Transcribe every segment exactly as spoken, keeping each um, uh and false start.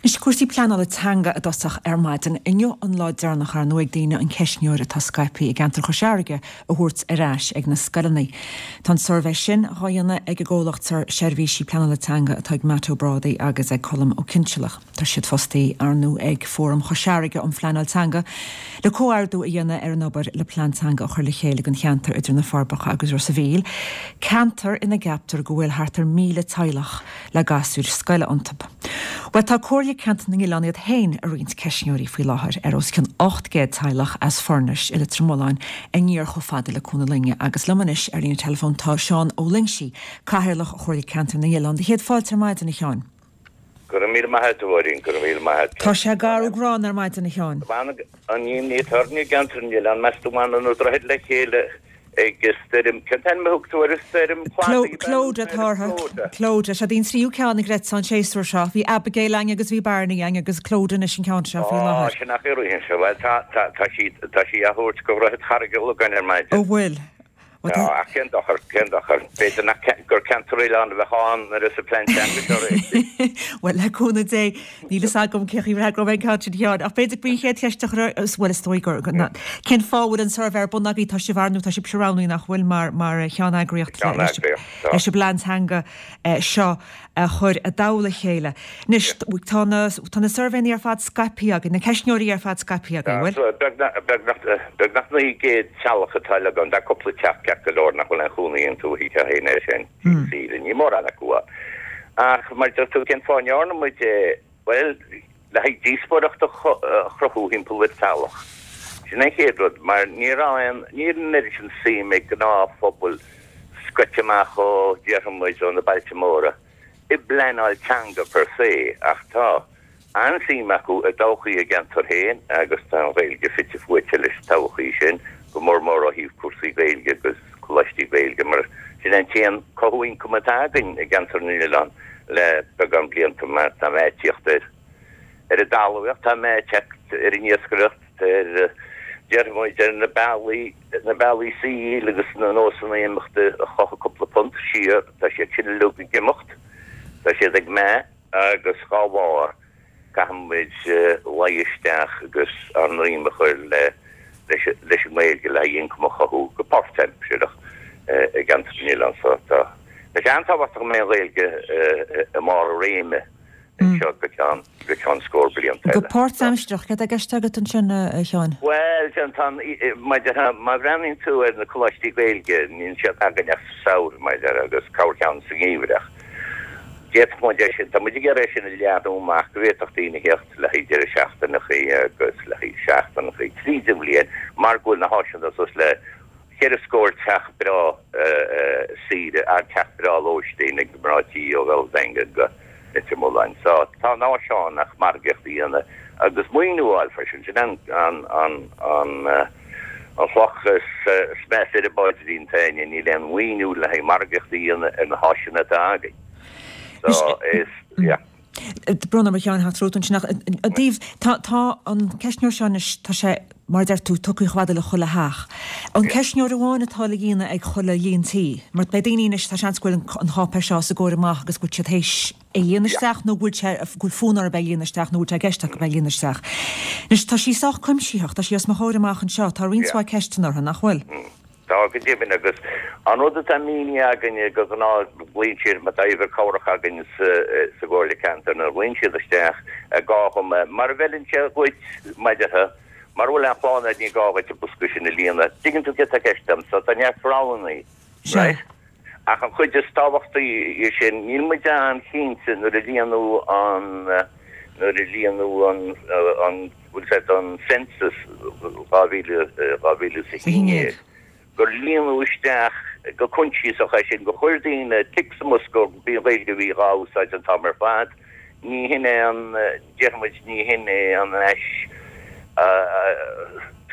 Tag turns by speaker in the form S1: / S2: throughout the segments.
S1: Anois cúrsaí pleanála teanga i dtosach ar maidin. Inniu an lá deireanach ar ndóigh ag daoine an ceistneoir atá scaipthe i gceantar Chois Fharraige a thabhairt ar ais ag na scoileanna. Tá an suirbhé sin á dhéanamh ag an gcomhlacht seirbhísí pleanála teanga atá ag Matt Ó Brádaigh agus ag Colm Ó Cinnsealach. Tá siad fostaithe ar ndóigh ag Fóram Chois Fharraige um Phleanáil Teanga le comhordú a dhéanamh ar an obair le plean teanga a chur le chéile don cheantar idir na Forbacha agus Ros an Mhíl, ceantar ina gceaptar go bhfuil thart ar míle teaghlach le gasúir scoile iontu. Well tá Comhairle Ceantar na nOileán iad féin ag roinnt ceistneoirí faoi láthair ar os cionn ocht gcéad teaghlach as Furnace i Leitir Mealláin aniar chomh fada le Cuan na Loinge agus liom anois ar líne telefón tá Seán Ó Loingsigh, Cathaoirleach Chomhairle Ceantar na nOileán. Do chéad fáilte ar maidin a Sheáin.
S2: Go raibh míle maith agat a Mháirín, go raibh míle maith agat.
S1: Tá sé garbh gránna ar maidin a Sheáin.
S2: An imní atá orainn i gceantar na nOileán, meas tú an mbaineann na droichid le chéile ag stoirm, cén t-ainm a thug tú ar an stoirm?
S1: Clodagh atá orthu. Clodagh. Sé an tríú ceann a ghreidfeas an séasúr seo. Bhí Abigail againn agus bhí Barney againn agus Clodagh anois an ceann seo faoi láthair.
S2: Á, sin nach é seo. Bhuel, tá, tá, tá sí, tá sí á thabhairt go Dhroichead Charraig an Logáin ar maidin.
S1: Ó bhfuil.
S2: Tá, ach cén dochar, cén dochar. B'fhéidir nach gur ceantar oileán a bheadh ann nuair is an plean teanga seo réitithe.
S1: Bhuel, le cúnamh Dé, níl fhios agam cén chaoi a bhfreagróidh mé an ceann sin a Sheáin, ach b'fhéidir go b'í an chéad cheist a chur, bhuel, is dóigh gur, cén fáth a bhfuil an suirbhé ar bun agaibh? Tá sibh ar nó tá sibhse roghnaithe nach bhfuil mar mar cheanneagraíocht leis leis an bplean teanga seo a chur i dtoll a chéile. Anois, tá na tá na suirbhéanna ar fad scaipthe agaibh, na ceistneoirí ar fad scaipthe agaibh, bhfuil?
S2: Beagnach beagnach beagnach naoi gcéad teaghlach atá le gan, tá cúpla teach ceart go leor nach bhfuil aon chónaí iontu oíche féin air sin, saoire, ní mórán acu ann. Ach mar deir tú, cén fáth a ndearna muid é? Bhuel, le haghaidh díospóireacht a chruthú thimpeall ar teaghlach. Sin an chéad rud, mar ní raibh aon, níl an oiread sin suim ag gnáthphobal scoite amach ó, déarfaidh muid, ó na bailte móra, i bpleanáil teanga per se, ach tá an-suim acu i dtodhchaí a gceantar féin agus tá an Ghaeilge fite fuaite leis an todhchaí sin, go mór mór ó thaobh cúrsaí Gaeilge agus coláistí Gaeilge, mar sin é an t-aon cothú ioncaim atá againn i gceantar na nOileán le beagán blianta mar tá meath ag tíocht ar ar an dtalmhaíocht, tá meath ag teacht ar an iascaireacht, ar, déarfaidh muid, ar na bealaí, na bealaí saoil agus na nósanna imeachta a chothaigh cúpla punt siar, tá siad sin uilig ag imeacht, tá siad ag meath agus dhá bharr caithfidh muid luí isteach agus ár ndroim a chur le leis an nGaeilge le haghaidh ioncam a chothú go páirtaimsearach i gceantar na nOileán. So tá sé an-tábhachtach go mbeidh an Ghaeilge i mbarr a réime anseo go ceann go ceann scór blianta
S1: eile. Go páirtaimsearach, céard atá i gceist agat ansin, a Sheáin?
S2: Bhuel, tá an, má bhreathnaíonn tú ar na coláistí Gaeilge, níl siad againn ach sa samhradh, mar a déarfá, agus corrcheann sa ngeimhreadh. D'fhéadfadh muid é sin, tá muid ag iarraidh é sin a leathnú amach go bhféadfadh daoine theacht le haghaidh deireadh seachtaineachaí agus le haghaidh seachtaineachaí tríd an bhliain mar go bhfuil na háiseanna suas le cheithre scór teach breá saoire, teach breá lóistín ag mná tí ó Bhéal Daingean go Leitir Mealláin. So tá an áis ann ach margaíocht a dhéanamh agus maoiniú a fháil freisin. Sin an an an an an chloch is measa ar an bpaidrín féin, níl aon mhaoiniú le haghaidh margaíocht a dhéanamh ar na háiseanna atá againn. So is, yeah.
S1: Brón orm a Sheáin theacht romhat ansin ach i dtaobh, tá tá an ceistneoir seo anois, tá sé, mar a deir tú, tugtha chomh fada le chuile theach. An ceistneoir amháin atá le dhéanamh ag chuile líon tí? Mar beidh daoine anois, tá seans go bhfuil an cháipéis seo os a gcomhair amach agus go bhfuil siad théis é a líonadh isteach nó go bhfuil sé, go bhfuil fonn orthu é a líonadh isteach nó go bhfuil sé i gceist acu é a líonadh isteach. Anois tá sí sách cuimsitheach, tá sí os mo chomhair amach anseo, tá roinnt mhaith ceisteanna orthu, nach bhfuil?
S2: Tá, go deimhin, agus an rud atá mínithe againne de ghnáth, glaonn siad, má tá uimhir cabhrach againn sa gComhairle Ceantair, nuair a ghlaonn siad isteach, gá dhom é, mara bhfeileann sé dhuit, mar a déarfá, mara bhfuil aon chlann agat, ní gá dhuit an bosca sin a líonadh. Tuigeann tú céard atá i gceist agam, so tá neart roghannaí, right? Ach an chuid is tábhachtaí dhe sin, níl muid an-chinnte nuair a líonadh an, nuair a líonadh an, an, bhfuil sé don census dhá mhíle, dhá mhíle is a haon déag, gur líonadh isteach go coinsiasach é sin, gur chuir daoine tic sa mbosca gurb í an Ghaeilge a bhí dhá úsáid an t-am ar fad. Ní hin é an, déarfaidh muid, ní hin é an ais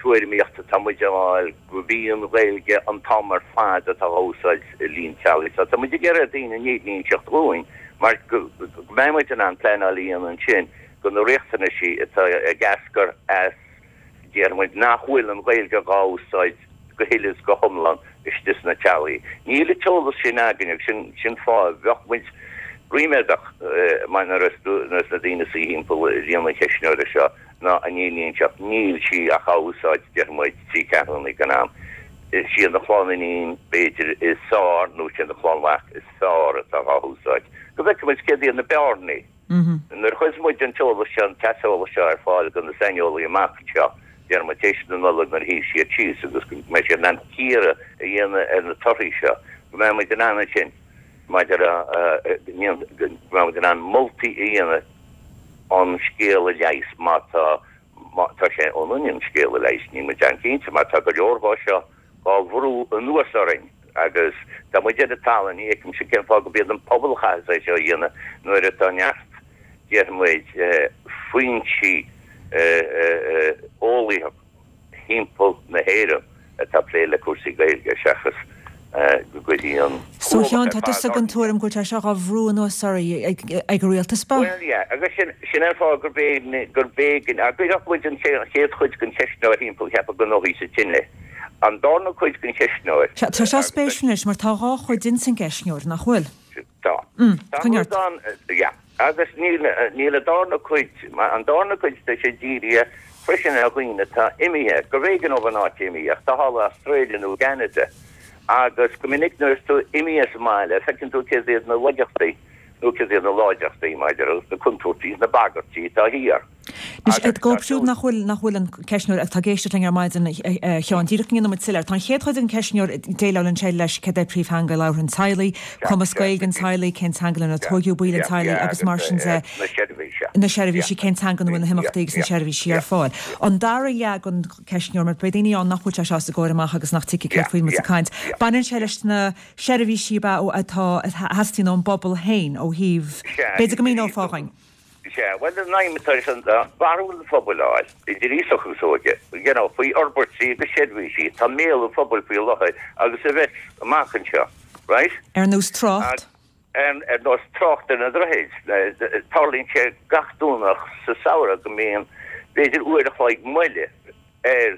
S2: tuairimíocht atá muid a fháil gurb í an Ghaeilge an t-am ar fad atá á úsáid i líon teaghlaigh. So tá muid ag iarraidh ar daoine an fhírinne a inseacht dhúinn mar go mbeidh muid in ann pleanáil a dhéanamh ansin do na riachtanaisí atá ag eascair as, déarfaidh muid, nach bhfuil an Ghaeilge dhá úsáid go huile is go hiomlán istigh sna teaghlaigh. Níl an t-eolas sin againn agus sin sin fáth bheadh muid ríméadach mar nuair is na daoine suí thimpeall líon an cheistneora seo ná an iníon seo níl sí ach á úsáid deir muid trí ceathrúna den am. Is iad na chlann iníon b'fhéidir is fearr nó siad na chlann mhac is fearr atá á húsáid. Go bhfeicfidh muid céard iad na bearnaí. Nuair a chuirfeas muid an t-eolas seo, an t-aiseolas seo ar fáil do na saineolaithe amach anseo, déarfaidh muid tar éis na Nollag nuair a shuífidh siad síos agus go mbeidh siad in ann cíoradh a dhéanamh ar na torthaí seo, go mbeidh muid in ann ansin maidir le go mbeidh muid in ann moltaí a dhéanamh an scéal a leigheas má tá má tá sé ionainn an scéal a leigheas, níl muid an-cinnte mar tá go leor dhó seo dhá bhrú anuas orainn agus tá muid ar an talamh, ní fheicimse cén fáth gurb iad an pobal a chaithfeas é seo a dhéanamh nuair atá neart, déarfaidh muid, foinsí eolaíocha thimpeall na hÉireann atá ag plé le cúrsaí Gaeilge seachas go gcuirfidh an
S1: So a Sheáin, tá tusa den tuairim go bhfuil sé seo dhá bhrú anuas oraibh ag an rialtas, ba?
S2: Bhuel, yeah, agus sin, sin an fáth gurb éigean, gurb éigean, dá gcuirfeadh muid an chéad chuid den cheistneoir thimpeall, cheapfá go ndófaí sa tine. An darna cuid den cheistneoir.
S1: Sea, tá seo spéisiúil anois mar tá dhá chuid ins an gceistneoir, nach bhfuil?
S2: Tá.
S1: Mm,
S2: Tá
S1: coinnigh
S2: rud
S1: ort.
S2: ann, yeah. Agus níl, níl an darna cuid, an darna cuid tá sé dírithe freisin ar dhaoine atá imithe, gurbh éigean dóibh an áit imithe, ach tá thall i Australia nó i gCeanada. Agus go minic nuair is tú imithe as an mbaile, feiceann tú céard iad na laigeachtaí, nó céard iad na láidreachtaí maidir agus na contúirtí is na bagairtí atá thiar.
S1: Anois,
S2: Agus
S1: dóibh
S2: tá
S1: siúd nach bhfuil, nach bhfuil an ceistneoir, atá ag éisteacht linn ar maidin, a Sheáin, díreach go ndéanfaidh muid soiléir, tá an chéad chuid den cheistneoir, déileálann sé leis céard é príomhtheanga labhartha an teaghlaigh, cumas Gaeilge an teaghlaigh, cén teanga lenar tóigeadh baill an teaghlaigh agus mar sin de, na seirbhísí, cén teanga ina bhfuil na himeachtaí agus na seirbhísí ar fáil. An dara leath den cheistneoir, mar beidh daoine ann nach bhfuil sé seo os a gcomhair amach agus nach dtuigfidh céard faoi muid ag caint, baineann sé leis na seirbhísí ab ea atá, a theastaíonn ón bpobal féin ó thaobh, b'fhéidir go míneofá dhuinn.
S2: Sea, bhuel, an aidhm atá leis an barúil an phobail a fháil, idir aosach agus óige, you know, faoi fhorbairtí agus seirbhísí atá i mbéal an phobail faoi láthair agus a bheas amach anseo, right?
S1: Ar nós trácht?
S2: Ar nós trácht ar na droichid. Tarlaíonn sé gach Domhnach sa samhradh go mbíonn b'fhéidir uair a chloig moille ar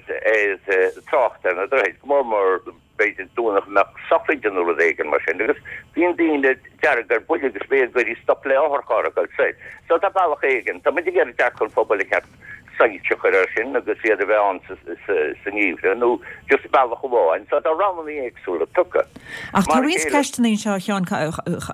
S2: trácht ar na droichid, go mór mór b'fhéidir Domhnach a mbeadh sochraid nó rud éigin mar sin, agus bíonn daoine dearg ar buile agus b'fhéidir go gcuirfí stop le otharcharr ag dul soir. So tá bealach éigin, tá muid ag iarraidh dearcadh an phobail a cheart soilse a chur air sin agus iad a bheith ann sa ngeimhreadh nó just bealach amháin. So tá roghanna éagsúla tugtha.
S1: Ach tá roinnt ceisteanna anseo a Sheáin, a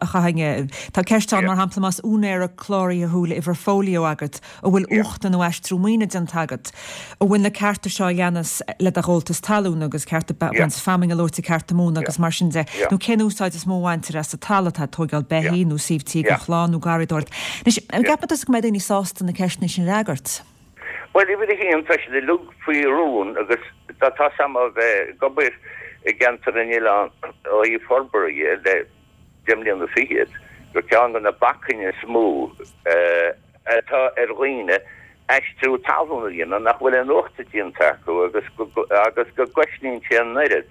S1: chaithfinn, tá ceist ann mar shampla más úinéara cláraithe thú le uimhir fóilió agat, an bhfuil uachta nó aistriú maoine déanta agat, an bhfuil na cearta seo a leanas le do ghabháltas talún agus cearta baint feamainne luaite, cearta móna agus mar sin de, nó cén úsáid is mó a bhaintear as an talamh, tá tóigeáil beithí nó suíomh tí don chlann nó garraíodóireacht. Anois, an gceapann tusa go mbeidh daoine sásta na ceisteanna sin a fhreagairt?
S2: Bhuel, uimhir a haon, tá siad uilig faoi rún agus tá a fhios agam ó bheith ag obair i gCeantar na nOileán ó thaobh forbartha dhe le deich mbliana fichead, gur ceann de na bacainní is mó atá ar dhaoine aistriú talún a dhéanamh nach bhfuil aon uachta déanta acu agus agus go gcosnaíonn sé an oiread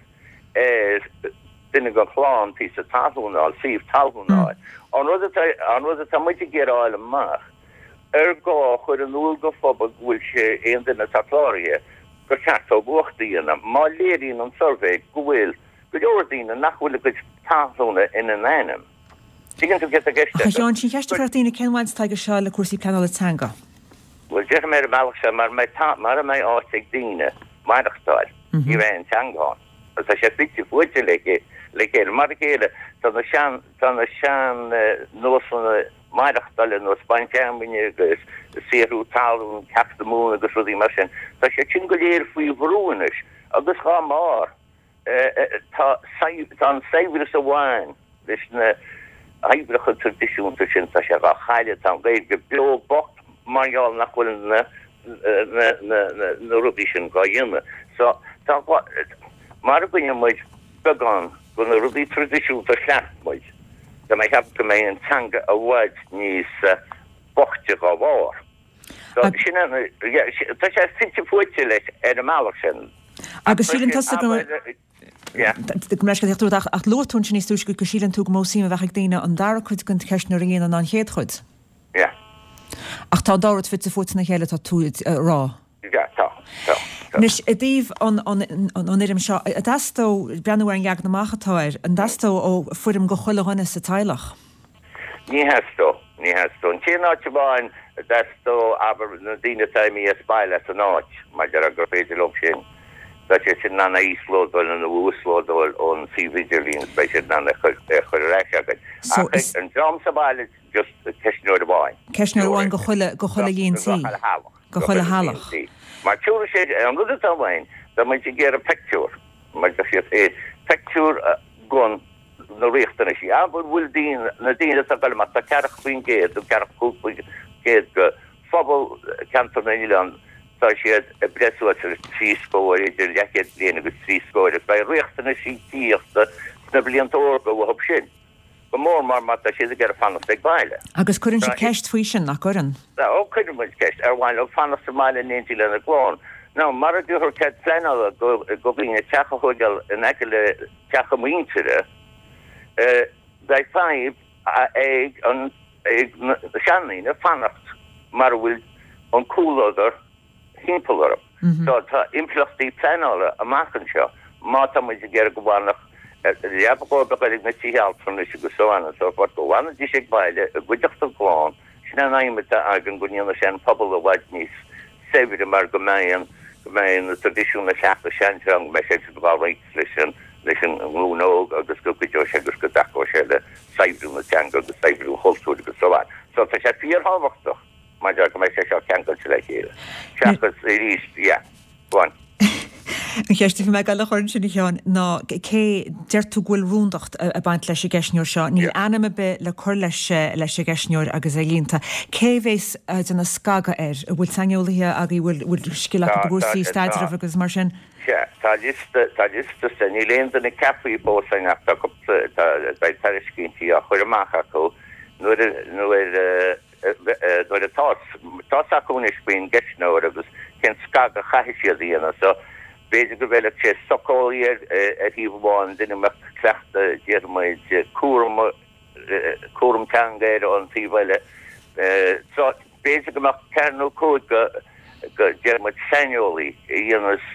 S2: ar duine den chlann píosa talún a fháil, suíomh talún a fháil. An rud atá an rud atá muid ag iarraidh a fháil amach, ar gá a chur in iúl don phobal go bhfuil sé aon duine atá cláraithe gur cheart dóibh uachta a dhéanamh má léiríonn an suirbhé go bhfuil go leor daoine nach bhfuil a gcuid talúna ina n-ainm. Tuigeann tú céard atá i gceist
S1: Ach a
S2: agam?
S1: Sheáin, sin cheist a chuirfeadh daoine, cén bhaint atá aige seo le cúrsaí pleanála teanga?
S2: Bhuel, déarfaidh mé ar an mbealach seo, mara mbeidh ta, mara mbeidh áit ag daoine maireachtáil, ní bheidh an teanga ann. Agus tá sé fite fuaite le le chéile. Mar a chéile, tá na sean, tá na sean nósanna maireachtála ar nós baint fheamainne agus saothrú talún, cearta móna agus rudaí mar sin, tá siad sin go léir faoi bhrú anois agus dhá mbarr. Tá an saibhreas a bhain leis na hoibreacha traidisiúnta sin, tá sé dhá chailleadh, tá an Ghaeilge beo bocht mar gheall nach bhfuil na rudaí sin dhá dhéanamh. So, tá, mara gcoinneoidh muid beagán de na rudaí traidisiúnta a chleacht muid, tá mé ag ceapadh go mbeidh an teanga i bhfad níos boichte dhá bharr. So, sin an, tá sé fite fuaite leis ar an mbealach sin.
S1: Agus síleann tusa go Go mbeidh sé ach ach luaigh tú ansin níos túisce go síleann tú gur mó suim a bheadh ag daoine an dara cuid den cheistneoir a dhéanamh ná an chéad chuid.
S2: Yeah.
S1: Ach tá an dá rud fite fuaite ina chéile, tá tú ag rá.
S2: Yeah, tá, tá, tá.
S1: Anois, i dtaobh an an an fhoirm seo, an dteastódh, breathnú ar an leagan amach atá air, an dteastódh ó foirm go chuile dhuine sa teaghlach?
S2: Ní theastódh, ní theastódh. An t-aon áit amháin a dteastódh, abair, na daoine atá imithe as baile as an áit, mar a déarfá gur féidir leo sin, tá siad sin in ann a íoslódáil nó a uaslódáil ón suíomh idirlín is beidh siad in ann é a chur ar ais againn. Ach an dream sa bhaile, just ceistneoir amháin.
S1: Ceistneoir amháin go chuile, go chuile líon tí. Go chuile theaghlach.
S2: Mar tabharfaidh sé, an rud atá uainn, tá muid ag iarraidh pictiúr, mar a deir siad, pictiúr gon na riachtanaisí. Abair bhfuil daoine, na daoine atá ag dul amach, tá ceathracha faoin gcéad nó ceathracha cúig faoin gcéad de phobal Cheantar na nOileán, tá siad ag breith suas ar trí scór, idir leathchéad bliain agus trí scór, agus beidh riachtanaisí tithíochta sna blianta órga uathu sin, go mór mór má tá siad ag iarraidh fanacht ag baile.
S1: Agus cuireann sibh ceist faoi sin, nach gcuireann?
S2: Ó, cuireann muid ceist, ar mhaith leo fanacht sa mbaile in éindí lena gclann? Nó mara dtabharfar cead pleanála do dhaoine teach a thóigeáil in aice le teach a muintire, beidh fadhb ag ag na seandaoine fanacht mara bhfuil an comhluadar thimpeall orthu. So tá impleachtaí pleanála amach anseo má tá muid ag iarraidh go bhfanfadh leaba dhóibh a dhul ag na tithe altranais agus so on and so forth, go bhfanfaidís ag baile i gcuideachta a gclann. Sin an aidhm atá againn, go ndéanfaidh sé an pobal i bhfad níos saibhre mar go mbeidh an, go mbeidh na traidisiúin na cleachtais seanteanga, go mbeidh sé á roinnt leis an, leis an nglúin óg agus go gcuideoidh sé agus go dtacóidh sé le saibhriú na teanga agus saibhriú an chultúir agus so on. So tá sé fíorthábhachtach maidir go mbeidh sé seo ceangailte le chéile. Seachas arís, yeah, go on.
S1: An cheist a bhí mé ag dul a chur ansin a Sheáin ná cé deir tú go bhfuil rúndacht ag baint leis an gceistneoir seo. Níl ainm ar bith le cur leis leis an gceistneoir agus é líonta. Cé a bhéas ag déanamh scagadh air? An bhfuil saineolaithe agaibh, bhfuil bhfuil scil acu i gcúrsaí staidrimh agus mar sin?
S2: Sea, tá liosta, tá liosta sa, níl aon duine ceaptha fós againn ach tá cúpla, tá, beidh tairiscintí á chur amach acu nuair a, nuair a, nuair atá, tá's acu anois faoin gceistneoir agus cén scagadh a chaithfidh siad a dhéanamh. So, b'fhéidir go bhfeilfeadh sé socheolaí ar, ar thaobh amháin, duine a mbeadh cleachtadh, déarfaidh muid, cúram, cúram teanga air ón taobh eile. So, b'fhéidir go mbeadh ceathair nó cúig go, go, déarfaidh muid, saineolaí a dhéanfas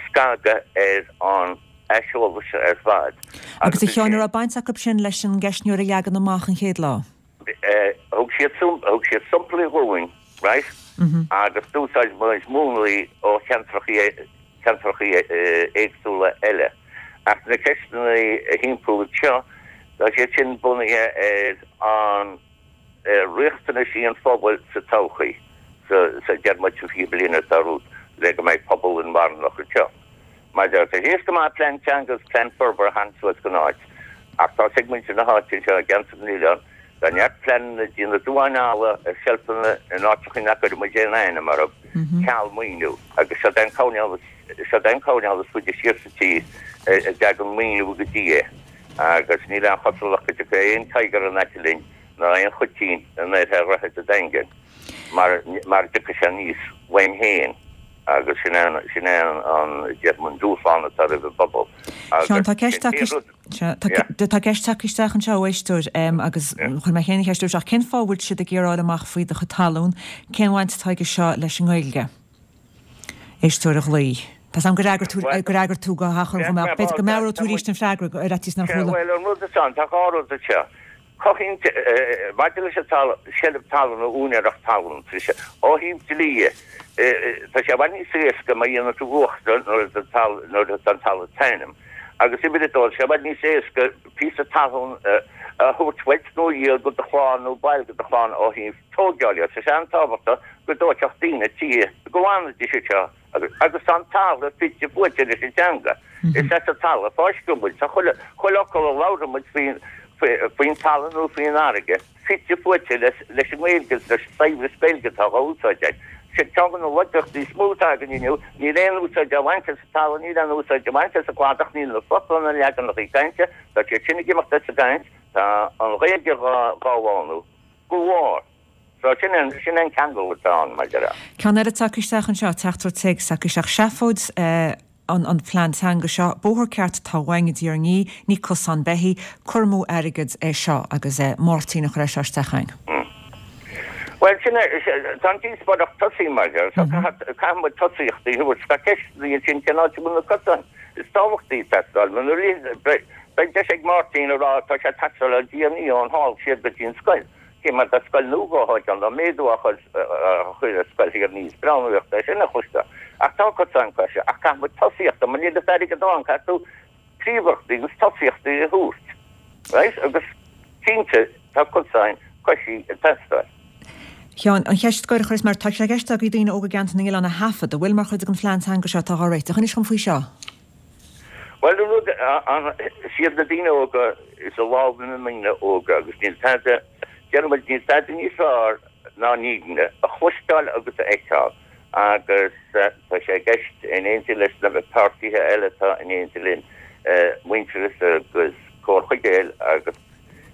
S2: scagadh ar an aiseolas seo ar fad.
S1: Agus a Sheáin, an raibh baint acu sin leis an gceistneoir a leagan amach an chéad lá?
S2: Thug siad thug siad samplaí dhúinn, right, agus d'úsáid muid múnlaí ó cheantracha ceantracha éagsúla eile. Ach na ceisteanna a thimpeall anseo, tá siad sin bunaithe ar an ar riachtanaisí an phobail sa todhchaí, sa sa deir muid sa fiche bliain atá romhainn, le go mbeidh pobal inmharthanach anseo. Mar tá sé éasca go maith plean teanga agus plean forbartha a tharraingt suas don áit, ach tá's ag muintir na háite anseo i gceantar na nOileán, tá neart pleananna ag déanamh duáin alla ar seilfeanna in áiteacha nach gcuireann muid aon ainm orthu, ceal maoiniú, agus siod é an coirnéal siod é an coirnéal is faide siar sa tír a dtagann maoiniú go dtí é, agus níl aon chosúlacht go dtiocfaidh aon tiger in aice linn ná aon choitín in oirthear Dhroichead an Daingin mar mara dtiocfaidh sé aníos uainn féin agus sin é an sin é an déarfainn an dúshlán atá roimh an bpobal
S1: Seán,
S2: agus
S1: tá ceist
S2: sin
S1: tagtha
S2: rud
S1: Sea,
S2: yeah.
S1: tá ceist tagtha isteach anseo ó éisteoir agus chuir mé féin an cheist isteach, cén fáth a bhfuil siad ag iarraidh fháil amach faoi do chuid talún, cén bhaint atá aige seo leis an nGaeilge? Éisteoir a ghlaoigh. Tá 's agam gur fhreagair tú gur fhreagair tú go hachomair dhom ach b'fhéidir go meabhróidh tú arís an freagra ar fhaitíos nár chuala.
S2: Bhuel, an rud atá ann, tá dhá rud anseo. Cothaíonn, maidir leis an talamh, seilbh talún nó úinéireacht talún, tá sé, ó thaobh dlí dhe, tá sé i bhfad níos éasca má dhéanann tú uachtar nuair atá nuair atá an talamh i d'ainm. Agus uimhir a dó, tá sé i bhfad níos éasca píosa talún a thabhairt uait nó a dhíol go do chlann nó baill de do chlann ó thaobh tóigeáil dhe. Tá sé an-tábhachtach go dtóigfeadh daoine tithe, go bhfanfaidís anseo. Agus agus tá an talamh fite fuaite leis an teanga. Is as an talamh a fáisceadh muid. Tá chuile chuile fhocal a labhrann muid faoin faoin talamh nó faoin fharraige fite fuaite leis leis an nGaeilge agus leis an saibhreas Gaeilge atá á úsáid againn. Sin ceann de na laigeachtaí is mó atá againn inniu, níl aon úsáid á bhaint as an talamh, níl aon úsáid á bhaint as an gcladach, níl na focla na leaganacha cainte, tá siad sin ag imeacht as an gcaint, tá an Ghaeilge dhá dhá bhánú go mhór. So sin an sin an ceangal atá ann, mar a déarfá.
S1: Ceann eile tagtha isteach anseo, teachtaireacht téacs tagtha isteach, seafóid an an plean teanga seo, bóthar ceart atá uainn i dTír an Fhia, ní cosán beithí, cur amú airgid é seo agus Máirtín a chuir é seo isteach chugainn.
S2: Bhuel, sin é, tá an díospóireacht tosaithe mar a déarfá, so caithfidh caithfidh muid tosaíochtaí a thabhairt. Tá ceisteanna ansin, cén áit a bhfuil na cosáin is tábhachtaí ag teastáil? Beidh deis ag Máirtín a rá tá sé ag teastáil ó Dhia ón hall siar go dtí an scoil. Cé mar tá scoil nua á thógáil, tá méadú á chur ar scoil Thír an Fhia, is breá an nuacht é sin a chloisteáil. Ach tá cosáin coise, ach caithfidh muid tosaíocht, mar níl an t-airgead ann, caithfidh tú príomhachtaí agus tosaíochtaí a thabhairt. Right? Agus cinnte tá cosáin coisí ag teastáil.
S1: Sheáin, an cheist scoir a chuireas mar tá sé i gceist agaibh daoine óga i gCeantar na nOileán a thaifead, an bhfuil mar chuid den phlean teanga seo atá á réiteach. Inis dhom faoi seo.
S2: Bhuel, an rud, an, is iad na daoine óga, is i lámha na ndaoine óga agus níl tada, déarfaidh muid, níl tada níos fearr ná an fhírinne a chloisteáil agus a fheiceáil agus tá sé i gceist in éindí leis na páirtithe eile atá in éindí linn, Muintearas agus Comhar Chuigéil agus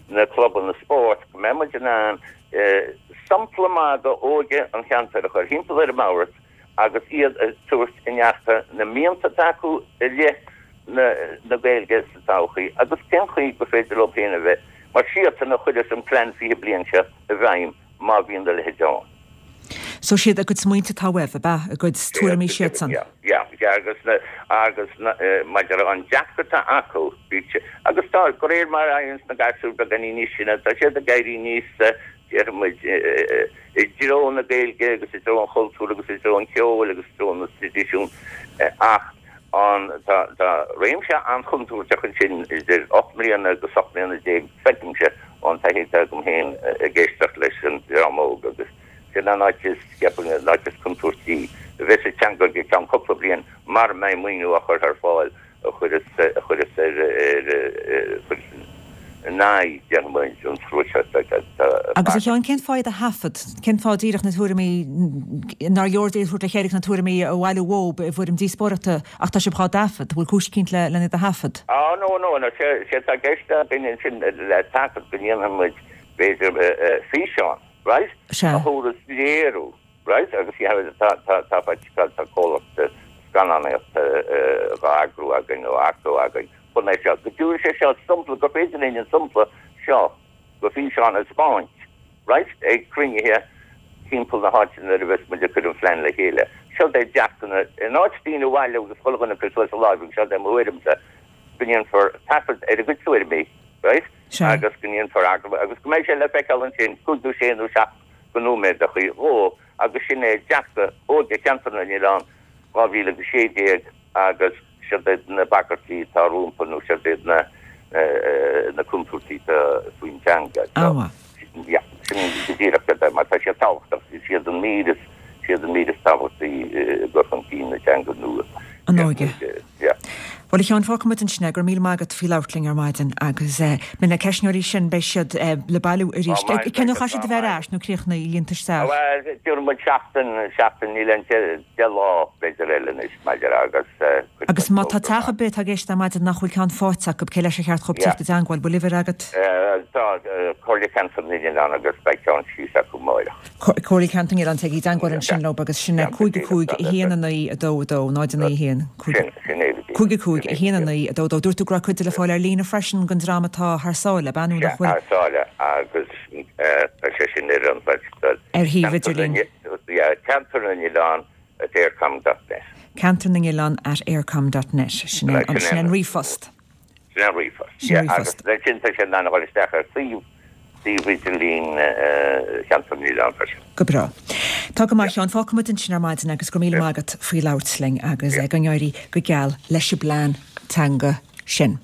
S2: na clubanna spóirt, go mbeidh muid in ann sampla maith d'óige an cheantair a chur thimpeall ar an mbord agus iad a tabhairt i ndearca na mianta atá acu i leith na Gaeilge sa todhchaí agus cén chaoi gur féidir leo féin a bheith mar siadsan a chuireas an plean fiche bliain seo i bhfeidhm má bhíonn a leithéid ann.
S1: So siad a gcuid smaointe atá uaibh, ab ea? A gcuid tuairimí siadsan?
S2: Yeah, yeah, yeah, agus na, agus na, maidir an dearcadh atá acu, bíodh sé, agus tá, de réir mar a éiríonns na gasúir beagáinín níos sine, tá siad ag éirí níos, déarfaidh muid, i dtreo na Gaeilge agus i dtreo an chultúir agus i dtreo an cheoil agus i dtreo na traidisiún, ach an, tá, tá réimse an-chontúirteach ansin idir ocht mbliana agus ocht mbliana déag, feicimse ón taithí atá agam féin ag éisteacht leis an dream óg agus sin an áit is, ceapaim, an áit is contúirtí a bheas an teanga i gceann cúpla bliain mara mbeidh maoiniú á chur ar fáil a chuireas, a chuireas ar, ar, a chuireas in aghaidh, déarfaidh muid, an slua seo atá
S1: Agus a Sheáin, cén fáth iad a thaifead? Cén fáth díreach na tuairimí, nár leor iad a thabhairt le chéile agus na tuairimí a bhailiú uathub i bhfoirm díospóireachta ach tá sibh dhá dtaifead? Bhfuil cúis eicínt le lena iad a thaifead?
S2: Á, no, no, no, sé, sé atá i gceist againn ansin le taifead go ndéanfaidh muid, b'fhéidir, físeán. right?
S1: Sea.
S2: A thabharfas léiriú, right? Agus you have, tá, tá, tá, tá, tá comhlacht scannánaíochta dhá eagrú againn nó earcú againn chun é seo, go dtabharfaidh sé seo sampla, gur féidir linn an sampla seo de fhíseán a 'speáint, right? Ag cruinnithe timpeall na háite nuair a bheas muid ag cur an phlean le chéile. Seo é dearcadh na, in áit daoine a bhailiú agus chuile dhuine ag cur suas a láimh agus seo é mo thuairimse, go ndéanfar taifead ar a gcuid tuairimí, right?
S1: Sea.
S2: Agus go ndéanfar agallamh agus go mbeidh sé le feiceáil ansin, cúig nó sé nó seacht de nóiméadachaí dhó agus sin é dearcadh óige Cheantar na nOileán dhá mhíle agus sé déag agus siod iad na bagairtí atá rompu nó siod iad na na contúirtí atá faoin teanga.
S1: Á mhaith.
S2: Yeah, sin go díreach iad mar tá siad tábhachtach, is iad an mír is, is iad an mír is tábhachtaí i gcur chun cinn na teanga nua.
S1: An óige.
S2: Yeah.
S1: Bhuel, a Sheáin, fágfaidh muid ansin é. Go raibh míle maith agat faoi labhairt linn ar maidin agus beidh na ceistneoirí sin, beidh siad le bailiú arís. Cén uair a chaithfidh siad a bheith ar ais nó críochnaithe líonta isteach?
S2: Bhuel, déarfaidh muid seachtain, seachtain, níl aon deich lá b'fhéidir eile anois maidir agus cuirfidh
S1: Agus
S2: muid
S1: má tá
S2: fógra
S1: teach
S2: amach.
S1: ar bith atá ag éisteacht ar maidin nach bhfuil ceann faighte acu, cé leis ar cheart dhóibh
S2: Yeah.
S1: teacht i dteangmháil? Bhfuil uimhir agat?
S2: Tá Comhairle Ceantar na nOileán agus beidh ceann síos acu amáireach.
S1: Comhairle Ceantar na nOileán, téigí i dteangmháil ansin leo agus sin é cúig a cúig a haon a naoi a dó a dó, náid a naoi a haon, cúig cúig a cúig a haon a naoi a dó a dó. Dúirt tú go raibh cuid de le fáil ar líne freisin den dream atá thar sáile, ab ea nó nach
S2: Sea,
S1: bhfuil?
S2: thar sáile agus tá sé sin ar an website.
S1: Ar shuíomh idirlín.
S2: Yeah, Ceantar na nOileán at eircom dot net.
S1: Ceantar na nOileán at eircom dot net. Sin é an ríomhphost.
S2: Sin é an ríomhphost.
S1: Sin an ríomhphost.
S2: Agus ansin tá sé in ann a dhul isteach ar suíomh suíomh idirlín Cheantar na nOileán freisin.
S1: Go breá. Tá go maith, a Sheáin. Fágfaidh muid ansin ar maidin agus go raibh míle maith agat faoi labhairt linn agus go n-éirí go geal leis an bplean teanga sin.